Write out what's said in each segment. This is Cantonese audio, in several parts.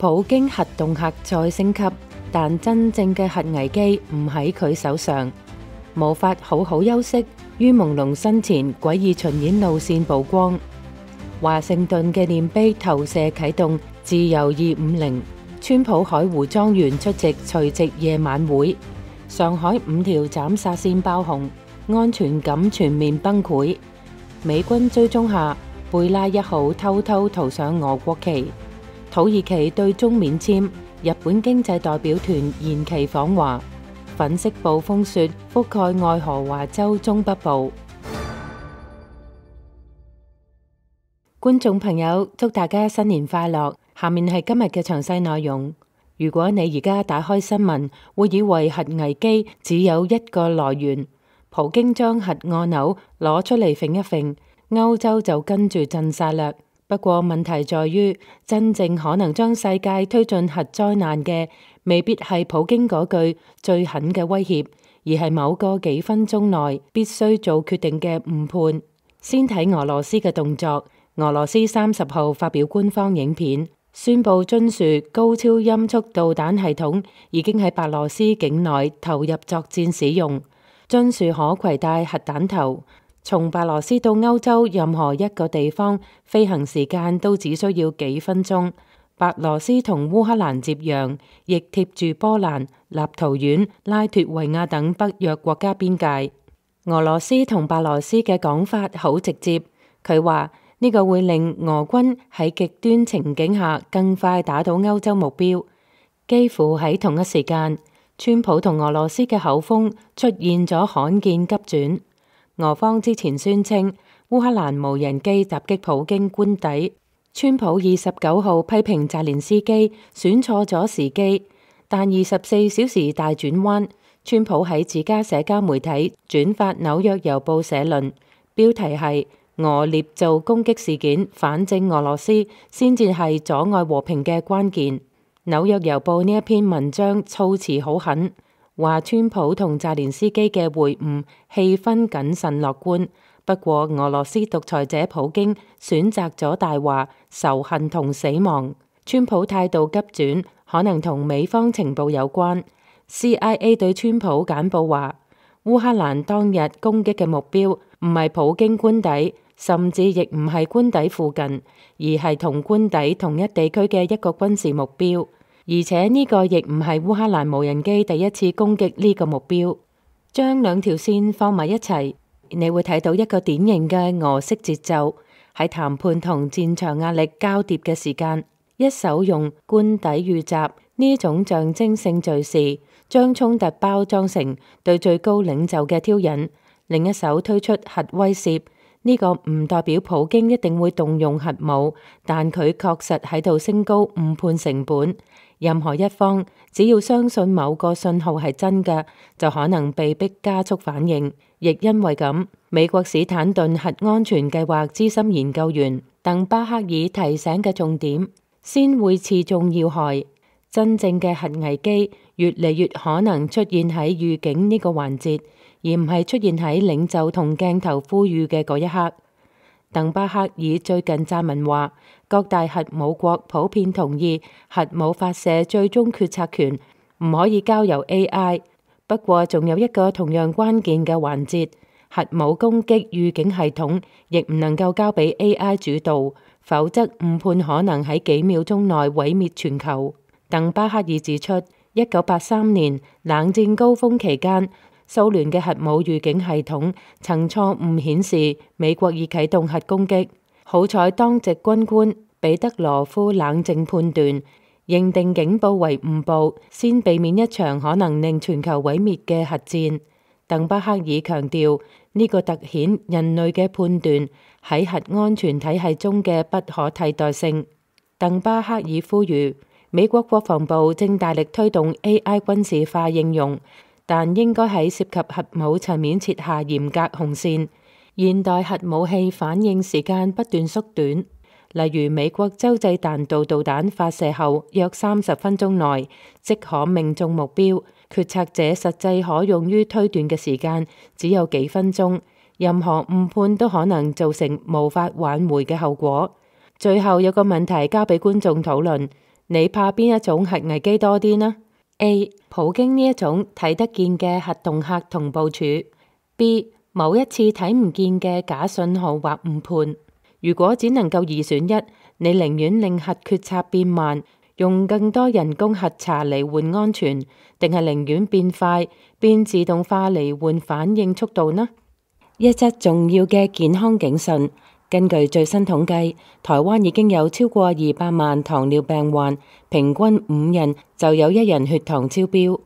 普京核恫嚇再升級，但真正嘅核危機唔喺佢手上，無法好好休息。於朦朧身前，詭異巡演路線曝光。華盛頓嘅練碑投射啟動，自由250。川普海湖莊園出席除夕夜晚會。上海5條斬殺線爆紅，安全感全面崩潰。美軍追蹤下，貝拉1號偷偷塗上俄國旗。土耳其對中免簽，日本經濟代表團延期訪華。粉色暴風雪覆蓋愛荷華州中北部。觀眾朋友，祝大家新年快樂！下面係今日嘅詳細內容。如果你而家打開新聞，會以為核危機只有一個來源，普京將核按鈕攞出嚟揈一揈，歐洲就跟住震晒嘞。不過問題在於，真正可能將世界推進核災難嘅，未必係普京嗰句最狠嘅威脅，而係某個幾分鐘內必須做決定嘅誤判。先睇俄羅斯嘅動作。俄羅斯30號發表官方影片，宣布津樹高超音速導彈系統已經喺白羅斯境內投入作戰使用。津樹可攜帶核彈頭，從白羅斯到歐洲任何一個地方飛行時間都只需要幾分鐘。白羅斯同烏克蘭接壤，亦貼住波蘭、立陶宛、拉脫維亞等北約國家邊界。俄羅斯同白羅斯嘅講法好直接，佢話呢個會令俄軍喺極端情景下更快打到歐洲目標。幾乎喺同一時間，川普同俄羅斯嘅口風出現咗罕見急轉。俄方之前宣稱烏克蘭無人機襲擊普京官邸，川普29號批評澤連斯基選錯咗時機，但24小時大轉彎，川普喺自家社交媒體轉發紐約郵報社論，標題係俄捏造攻擊事件，反正俄羅斯先至係阻礙和平嘅關鍵。紐約郵報呢一篇文章措辭好狠，話川普同澤連斯基嘅會晤氣氛謹慎樂觀，不過俄羅斯獨裁者普京選擇咗大話、仇恨同死亡。川普態度急轉，可能同美方情報有關。CIA 對川普簡報話，烏克蘭當日攻擊嘅目標唔係普京官邸，甚至亦唔係官邸附近，而係同官邸同一地區嘅一個軍事目標。而且呢個亦唔係烏克蘭無人機第一次攻擊呢個目標。將兩條線放埋一齊，你會睇到一個典型嘅俄式節奏。喺談判同戰場壓力交疊嘅時間，一手用官邸遇襲呢種象徵性敘事，將衝突包裝成對最高領袖嘅挑釁；另一手推出核威懾，呢個唔代表普京一定會動用核武，但佢確實喺度升高誤判成本。任何一方只要相信某個信號係真嘅，就可能被迫加速反應。亦因為咁，美國史坦頓核安全計劃資深研究員鄧巴克爾提醒嘅重點，先會刺中要害。真正嘅核危機越嚟越可能出現喺預警呢個環節，而唔係出現喺領袖同鏡頭呼籲嘅嗰一刻。鄧巴克爾最近撰文話，各大核武國普遍同意核武發射最終決策權唔可以交由 AI。不過仲有一個同樣關鍵嘅環節，核武攻擊預警系統亦唔能夠交俾 AI 主導，否則誤判可能喺幾秒鐘內毀滅全球。鄧巴克爾指出，1983年冷戰高峰期間，蘇聯嘅核武預警系統曾錯誤顯示美國已啟動核攻擊。好彩當值軍官彼得羅夫冷靜判斷，認定警報為誤報，先避免一場可能令全球毀滅嘅核戰。鄧巴克爾強調，呢個凸顯人類嘅判斷喺核安全體系中嘅不可替代性。鄧巴克爾呼籲，美國國防部正大力推動 AI 軍事化應用，但應該喺涉及核武層面設下嚴格紅線。現代核武器反應時間不斷縮短，例如美國洲際彈道導彈發射後約30分鐘內即可命中目標，決策者實際可用於推斷嘅時間只有幾分鐘，任何誤判都可能造成無法挽回嘅後果。最後有個問題交俾觀眾討論，你怕邊一種核危機多啲呢？ A. 普京呢一種睇得見嘅核恫嚇同部署。 B. 某一次睇唔見嘅假信號或誤判。如果只能夠二選一，你寧願令核決策變慢，用更多人工核查嚟換安全，定係寧願變快，變自動化嚟換反應速度呢？一則重要嘅健康警訊。根據最新統計，台灣已經有超過200萬糖尿病患，平均5人就有1人血糖超標。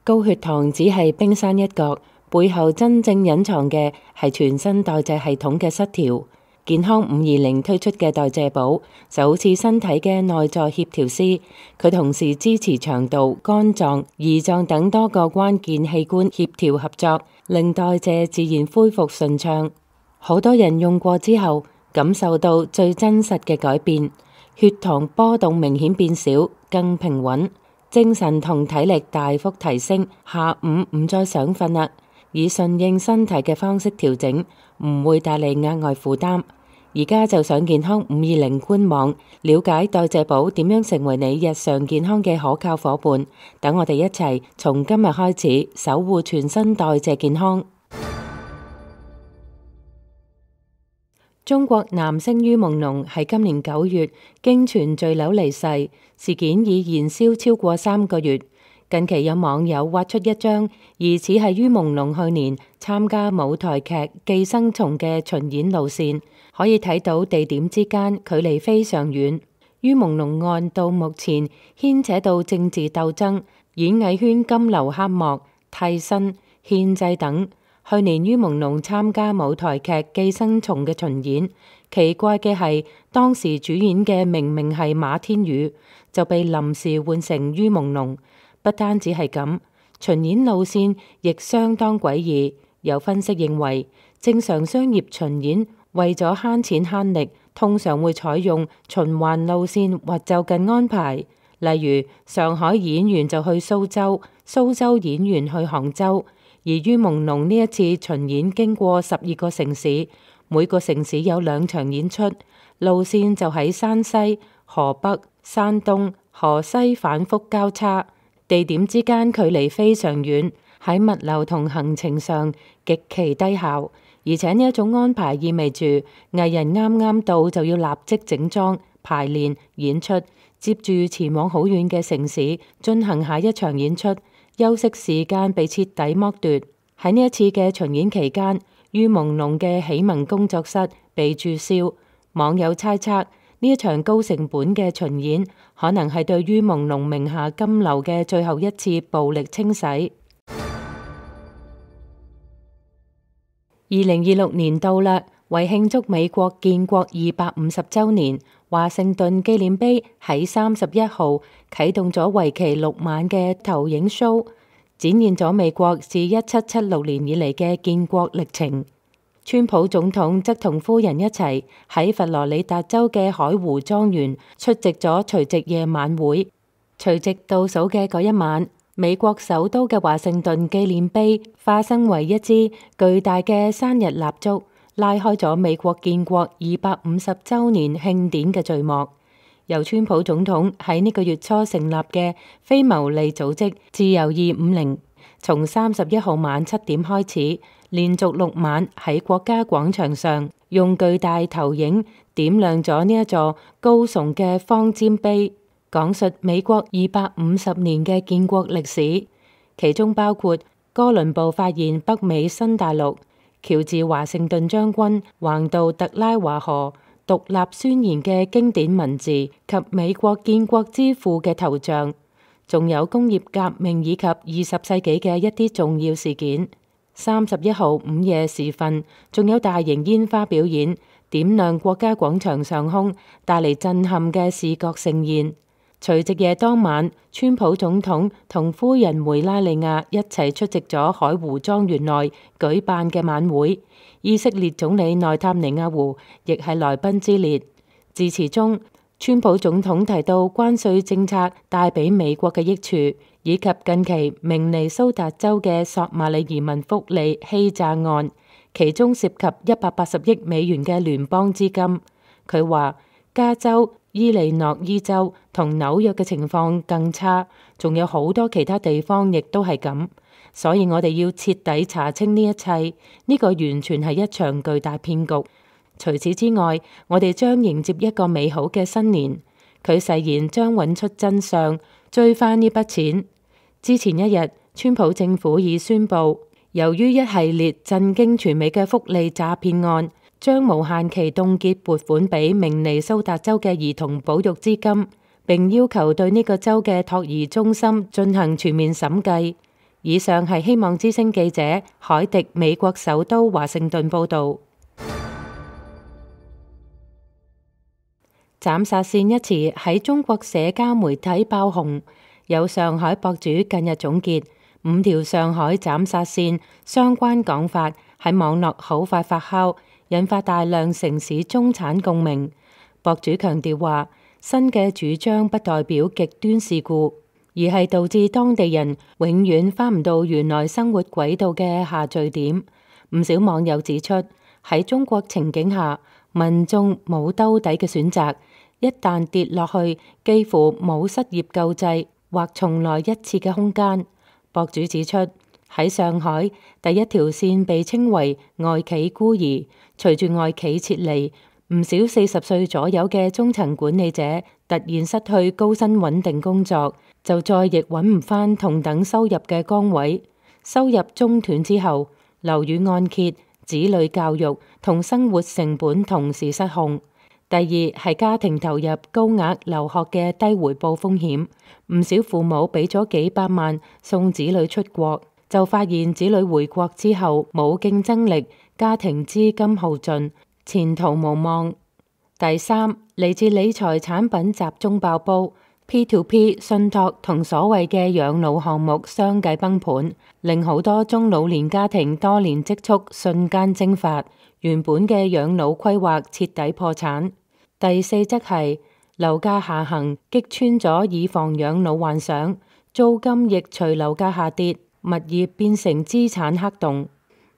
高血糖只係冰山一角，背後真正隱藏嘅係全身代謝系統嘅失調。健康520推出嘅代謝寶就好似身體嘅內在協調師，佢同時支持腸道、肝臟、胰臟等多個關鍵器官協調合作，令代謝自然恢復順暢。好多人用過之後，感受到最真實嘅改變，血糖波動明顯變少，更平穩，精神同體力大幅提升，下午唔再想瞓啦。以順應身體嘅方式調整，唔會帶嚟額外負擔。而家就上健康520官網，了解代謝寶點樣成為你日常健康嘅可靠夥伴。等我哋一齊從今日開始守護全身代謝健康。中國男星于朦朧喺今年9月經傳墜樓離世，事件已燃燒超過3個月。近期有網友挖出一張疑似係于朦朧去年參加舞台劇《寄生蟲》嘅巡演路線，可以睇到地點之間距離非常遠。于朦朧案到目前牽扯到政治鬥爭、演藝圈金流黑幕、替身、獻祭等。去年于朦朧參加舞台劇《寄生蟲》嘅巡演，奇怪嘅係當時主演嘅明明係馬天宇，就被臨時換成于朦朧。不單止係咁，巡演路線亦相當詭異。有分析認為，正常商業巡演為咗慳錢慳力，通常會採用循環路線或就近安排。例如上海演員就去蘇州，蘇州演員去杭州。而于朦朧呢一次巡演經過12個城市，每個城市有2場演出，路線就喺山西、河北、山東、河西反覆交叉，地點之間距離非常遠，喺物流同行程上極其低效。而且呢一種安排意味住藝人啱啱到就要立即整裝、排練、演出，接住前往好遠嘅城市進行下一場演出。休息時間被徹底剝奪。喺呢一次嘅巡演期間，于朦朧嘅喜聞工作室被註銷。網友猜測呢一場高成本嘅巡演可能係對于朦朧名下金流嘅最後一次暴力清洗。2026年到啦，為慶祝美國建國250週年，華盛頓紀念碑喺31號啟動咗為期6晚嘅投影 show， 展現咗美國自1776年以嚟嘅建國歷程。川普總統則同夫人一齊喺佛羅里達州嘅海湖莊園出席咗除夕夜晚會。除夕倒數嘅嗰一晚，美國首都嘅華盛頓紀念碑化身為一支巨大嘅生日蠟燭，拉開咗美國建國250週年慶典嘅序幕。由川普總統喺呢個月初成立嘅非牟利組織自由250，從31號晚7點開始，連續6晚喺國家廣場上用巨大投影點亮咗呢一座高聳嘅方尖碑，講述美國250年嘅建國歷史，其中包括哥倫布發現北美新大陸、喬治華盛頓將軍橫渡特拉華河、獨立宣言嘅經典文字及美國建國之父嘅頭像，仲有工業革命以及20世紀嘅一啲重要事件。31號午夜時分，仲有大型煙花表演，點亮國家廣場上空，帶嚟震撼嘅視覺盛宴。除夕夜當晚，川普總統同夫人梅拉尼亞一齊出席咗海湖莊園內舉辦嘅晚會。以色列總理內塔尼亞胡亦係來賓之列。致辭中，川普總統提到關稅政策帶俾美國嘅益處，以及近期明尼蘇達州嘅索馬里移民福利欺詐案，其中涉及180億美元嘅聯邦資金。佢話加州伊利諾伊州同紐約嘅情況更差，仲有好多其他地方亦都係咁。所以我哋要徹底查清呢一切，呢個完全係一場巨大騙局。除此之外，我哋將迎接一個美好嘅新年。佢誓言將揾出真相，追返呢筆錢。之前一日，川普政府已宣布，由於一系列震驚全美嘅福利詐騙案，將無限期凍結撥款俾明尼蘇達州嘅兒童保育資金，並要求對呢個州嘅托兒中心進行全面審計。以上係希望之聲記者海迪美國首都華盛頓報導。斬殺線一詞喺中國社交媒體爆紅，有上海博主近日總結5條上海斬殺線相關講法喺網絡好快發酵，引發大量城市中產共鳴。博主強調話，新嘅主張不代表極端事故，而係導致當地人永遠返唔到原來生活軌道嘅下墜點。唔少網友指出，喺中國情景下，民眾冇兜底嘅選擇，一旦跌落去，幾乎冇失業救濟或重來一次嘅空間。博主指出，喺上海，第一條線被稱為外企孤兒，隨住外企撤離，唔少40歲左右嘅中層管理者突然失去高薪穩定工作，就再亦揾唔返同等收入嘅崗位。收入中斷之後，樓宇按揭、子女教育同生活成本同時失控。第二係家庭投入高額留學嘅低回報風險，唔少父母俾咗幾百萬送子女出國，就發現子女回國之後冇競爭力，家庭資金耗盡，前途無望。第三，嚟自理財產品集中爆煲， P2P 信託同所謂嘅養老項目相繼崩盤，令好多中老年家庭多年積蓄瞬間蒸發，原本嘅養老規劃徹底破產。第四則係樓價下行擊穿咗以房養老幻想，租金亦隨樓價下跌，物業變成資產黑洞。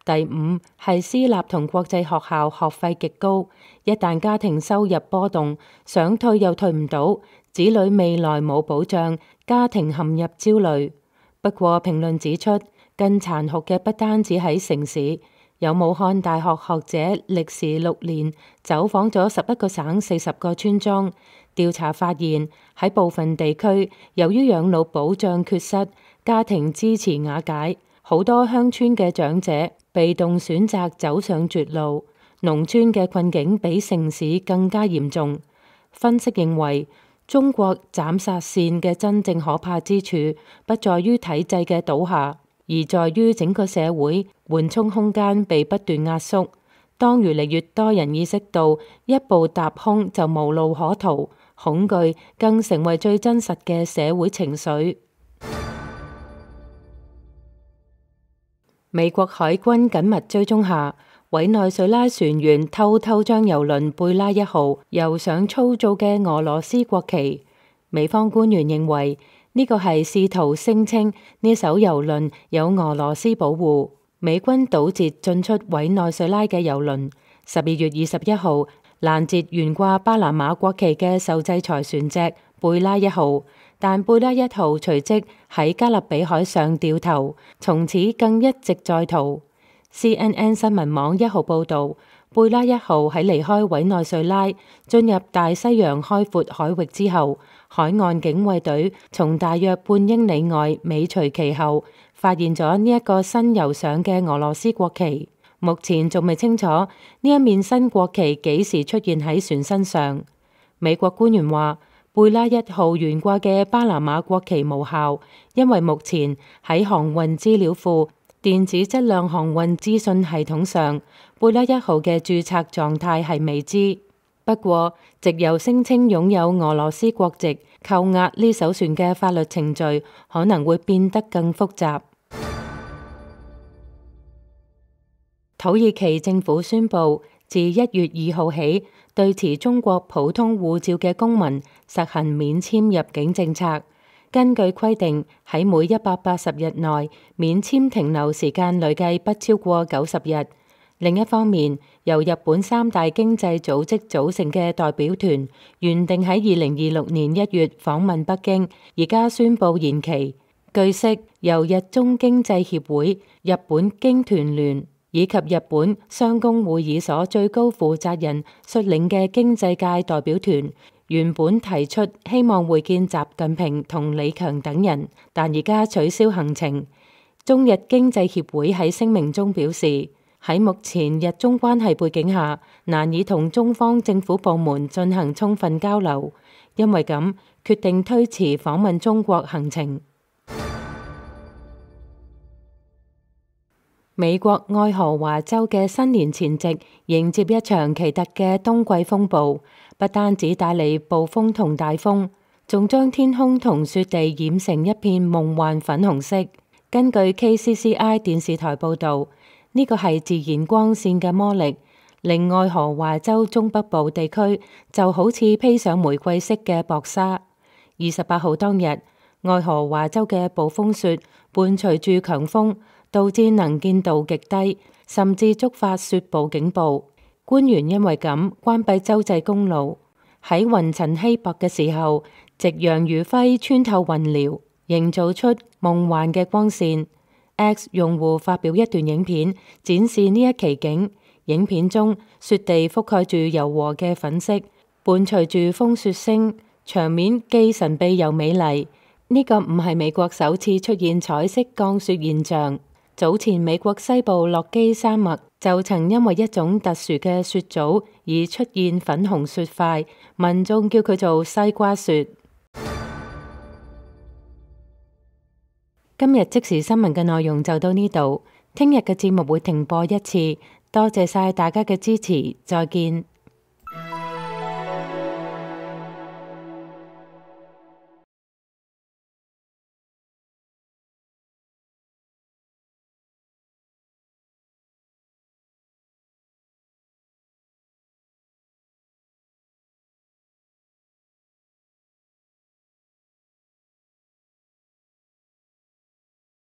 第五係私立同國際學校學費極高，一旦家庭收入波動，想退又退唔到，子女未來冇保障，家庭陷入焦慮。不過評論指出，更殘酷嘅不單止喺城市。有武漢大學學者歷時6年走訪咗11個省40個村莊，調查發現喺部分地區，由於養老保障缺失，家庭支持瓦解，好多鄉村嘅長者被動選擇走上絕路，農村嘅困境比城市更加嚴重。分析認為，中國斬殺線嘅真正可怕之處，不在於體制嘅倒下，而在於整個社會緩衝空間被不斷壓縮。當越嚟越多人意識到一步踏空就無路可逃，恐懼更成為最真實嘅社會情緒。美國海軍緊密追蹤下，委內瑞拉船員偷偷將郵輪貝拉1號油上粗糙嘅俄羅斯國旗。美方官員認為呢個係試圖聲稱呢艘郵輪有俄羅斯保護。美軍堵截進出委內瑞拉嘅郵輪，12月21號攔截懸掛巴拿馬國旗嘅受制裁船隻貝拉1號，但貝拉1號隨即喺加勒比海上掉頭，從此更一直在逃。CNN 新聞網1號報導，貝拉1號喺離開委內瑞拉進入大西洋開闊海域之後，海岸警衛隊從大約半英里外尾隨其後，發現咗呢一個新油上嘅俄羅斯國旗。目前仲未清楚呢一面新國旗幾時出現喺船身上。美國官員話，貝拉1號懸掛嘅巴拿馬國旗無效，因為目前喺航運資料庫電子質量航運資訊系統上，貝拉1號嘅註冊狀態係未知。不過，藉由聲稱擁有俄羅斯國籍扣押呢艘船嘅法律程序可能會變得更複雜。土耳其政府宣布，自1月2號起，對持中國普通護照嘅公民實行免簽入境政策。根據規定，喺每180日內，免簽停留時間累計不超過90日。另一方面，由日本三大經濟組織組成嘅代表團，原定喺2026年1月訪問北京，而家宣布延期。據悉，由日中經濟協會、日本經團聯以及日本商工會議所最高負責人率領嘅經濟界代表團，原本提出希望會見習近平同李強等人，但而家取消行程。中日經濟協會喺聲明中表示，喺目前日中關係背景下，難以同中方政府部門進行充分交流，因為咁決定推遲訪問中國行程。美國愛荷華州嘅新年前夕迎接一場奇特嘅冬季風暴，不單止帶嚟暴風同大風，仲將天空同雪地染成一片夢幻粉紅色。根據 KCCI 電視台報導，呢個係自然光線嘅魔力，令愛荷華州中北部地區就好似披上玫瑰色嘅薄紗。28號當日，愛荷華州嘅暴風雪伴隨住強風，導致能見度極低，甚至觸發雪暴警報。官員因為咁關閉州際公路。喺雲層稀薄嘅時候，夕陽餘暉穿透雲遼，營造出夢幻嘅光線。X 用戶發表一段影片，展示呢一奇景。影片中，雪地覆蓋住柔和嘅粉色，伴隨住風雪聲，場面既神秘又美麗。呢個唔係美國首次出現彩色降雪現象。早前美國西部洛基山脈就曾因為一種特殊嘅雪組而出現粉紅雪塊，民眾叫佢做西瓜雪。今日即時新聞嘅內容就到呢度，聽日嘅節目會停播一次，多謝晒大家嘅支持，再見。